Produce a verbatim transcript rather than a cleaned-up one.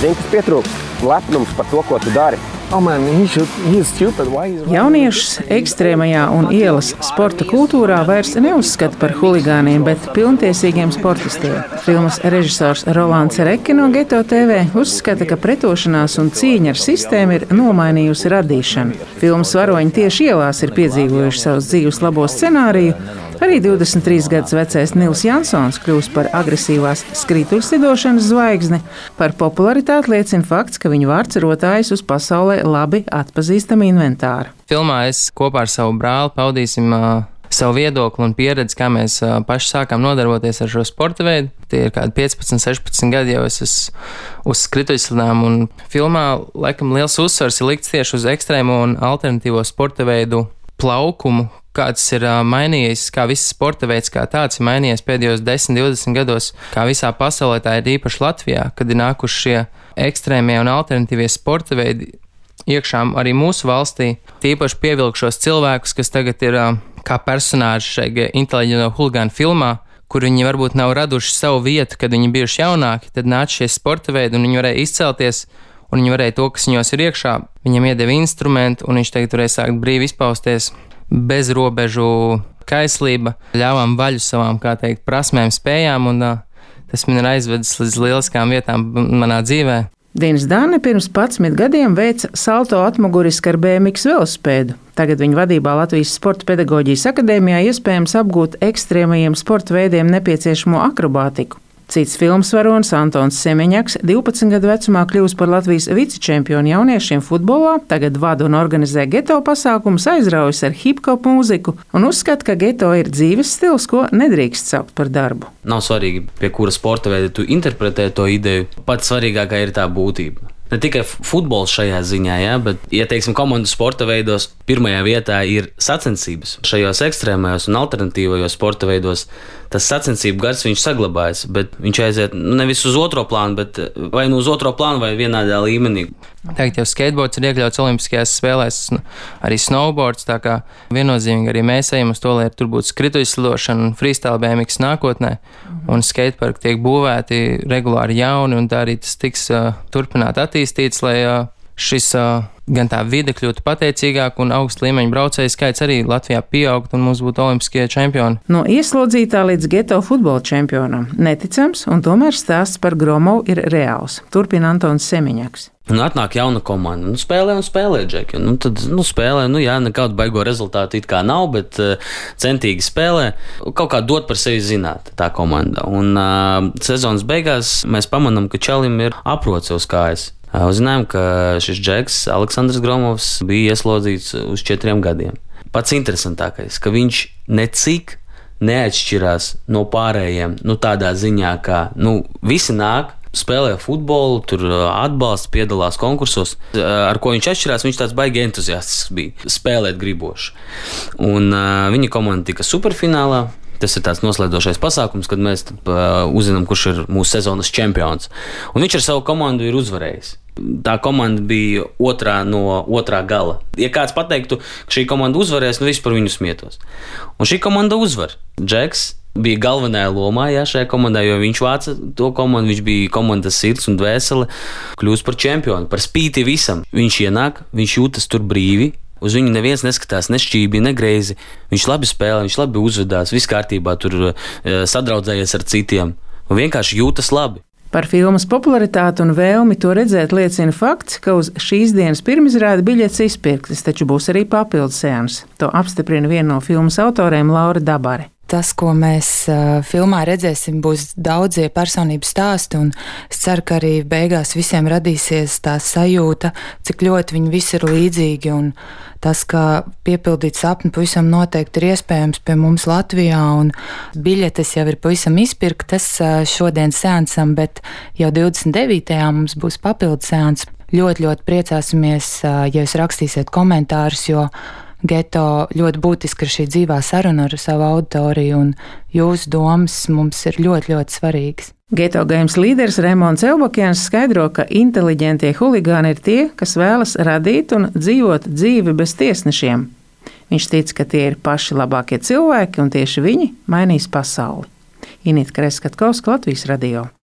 zini, kas pietrūkst? Lepnums par to, ko tu dari. Oh man, he should, he's stupid. Why he's Jauniešus ekstrēmajā un ielas sporta kultūrā vairs neuzskata par huligāniem, bet pilntiesīgiem sportistiem. Filmas režisors Rolands Reke no Geto T V uzskata, ka pretošanās un cīņa ar sistēmu ir nomainījusi radīšanu. Filmas varoņi tieši ielās ir piedzīvojuši savus dzīves labo scenāriju. Arī divdesmit trīs gadus vecais Nils Jansons kļūst par agresīvās skrituļslidošanas zvaigzni. Par popularitāti liecina fakts, ka viņu vārds rotājas uz pasaulē labi atpazīstama inventāra. Filmā es kopā ar savu brāli paudīsim uh, savu viedokli un pieredzi, kā mēs uh, paši sākām nodarboties ar šo sporta veidu. Tie ir kādi piecpadsmit, sešpadsmit gadi jau es esmu uz skrituļslidām, un filmā laikam liels uzsvars ir likts tieši uz ekstrēmo un alternatīvo sporta veidu plaukumu, kāds ir uh, mainījies, kā viss sporta veids kā tāds ir mainījies pēdējos desmit, divdesmit gados, kā visā pasaulē, tā ir īpaši Latvijā, kad ir nākuši šie ekstrēmie un alternatīvie sporta veidi iekšā arī mūsu valstī. Tīpaši pievilkšos cilvēkus, kas tagad ir uh, kā personāži šajā inteliģento huligānu filmā, kur viņi varbūt nav raduši savu vietu, kad viņi bijuši jaunāki, tad nāca šie sporta veidi un viņi varēja izcelties, un viņi varēja to, kas viņos ir iekšā, viņam iedeva instrumentu, un viņš tagad varēja sākt brīvi izpausties. Bez robežu kaislība, ļāvām vaļu savām, kā teikt, prasmēm, spējām, un uh, tas man ir aizvedis līdz lieliskām vietām manā dzīvē. Dīnis Dāne pirms padsmit gadiem veica salto atmuguriski ar B M X velosipēdu. Tagad viņa vadībā Latvijas Sporta pedagoģijas akadēmijā iespējams apgūt ekstrēmajiem sporta veidiem nepieciešamo akrobātiku. Cits filmas varonis Antons Semeņaks divpadsmit gadu vecumā kļūst par Latvijas vicečempionu jauniešiem futbolā, tagad vada un organizē geto pasākumus, aizraujas ar hip-hop mūziku un uzskata, ka geto ir dzīves stils, ko nedrīkst saukt par darbu. Nav svarīgi, pie kura sporta veida tu interpretē to ideju, pats svarīgākā ir tā būtība. Ne tikai futbols šajā ziņā, ja, bet, ja teiksim, komandu sporta veidos pirmajā vietā ir sacensības. Šajos ekstrēmajos un alternatīvajos sporta veidos tas sacensību gars viņš saglabājas, bet viņš aiziet nevis uz otro plānu, bet vai nu uz otro plānu vai vienādā līmenī. Tagad jau skateboards ir iekļauts olimpiskajās spēlēs, arī snowboards, tā kā viennozīmīgi arī mēs ejam uz to, lai tur būtu skrituļslidošana un freestyle B M X nākotnē, un skateparki tiek būvēti regulāri jauni, un tā arī tas tiks uh, turpināt attīstīts, lai uh, šis uh, gan tā vide kļūtu pateicīgāk un augsta līmeņa braucēju skaits arī Latvijā pieaugt un mums būtu olimpiskie čempioni. No ieslodzītā līdz geto futbola čempionam neticams, un tomēr stāsts par Gromovu ir reāls. Turpina Antons Semeņaks. Un atnāk jauna komanda, nu spēlē un spēlē, Džeki. Nu tad, nu spēlē, nu jā, nekādu baigo rezultātu it kā nav, bet uh, centīgi spēlē. Kaut kā dot par sevi zināt tā komanda. Un uh, sezonas beigās mēs pamanām, ka čalim ir aproce uz kājas. Uh, uzzinājām, ka šis Džeks, Aleksandrs Gromovs, bija ieslodzīts uz četriem gadiem. Pats interesantākais, ka viņš necik neatšķirās no pārējiem, nu tādā ziņā, ka, nu, visi nāk, spēlē futbolu, tur atbalsta, piedalās konkursos. Ar ko viņš atšķirās, viņš tāds baigi entuziastisks bija, spēlēt griboši. Un uh, viņa komanda tika superfinālā. Tas ir tāds noslēdzošais pasākums, kad mēs uh, uzzinām, kurš ir mūsu sezonas čempions. Un viņš ar savu komandu ir uzvarējis. Tā komanda bija otrā no otrā gala. Ja kāds pateiktu, ka šī komanda uzvarēs, nu viss par viņu smietos. Un šī komanda uzvar. Džeks bija galvenajā lomā, jā, šajā komandā, jo viņš vāca to komandu, viņš bija komandas sirds un dvēsele, kļūst par čempionu, par spīti visam. Viņš ienāk, viņš jūtas tur brīvi, uz viņu neviens neskatās, ne šķībi, ne greizi. Viņš labi spēlē, viņš labi uzvedās, viss kārtībā, tur sadraudzējies ar citiem un vienkārši jūtas labi. Par filmas popularitāti un vēlmi to redzēt liecina fakts, ka uz šīs dienas pirmizrādi biļetes izpirktas, taču būs arī papildus seans. To apstiprina viena no filmas autoriem Laura Dabare. Tas, ko mēs uh, filmā redzēsim, būs daudzie personību stāsti, un es ceru, ka arī beigās visiem radīsies tā sajūta, cik ļoti viņi visi ir līdzīgi, un tas, ka piepildīt sapni pavisam noteikti ir iespējams pie mums Latvijā, un biļetes jau ir pavisam izpirktas uh, šodien seansam, bet jau divdesmit devītajā mums būs papildu seans. Ļoti, ļoti priecāsimies, uh, ja jūs rakstīsiet komentārus, jo Geto ļoti būtiski ir šī dzīvā saruna ar savu auditoriju, un jūsu domas mums ir ļoti, ļoti svarīgas. Geto Games līderis Raimonds Elbakjans skaidro, ka inteliģentie huligāni ir tie, kas vēlas radīt un dzīvot dzīvi bez tiesnešiem. Viņš tic, ka tie ir paši labākie cilvēki, un tieši viņi mainīs pasauli. Inita Kreskatkovska, Latvijas radio.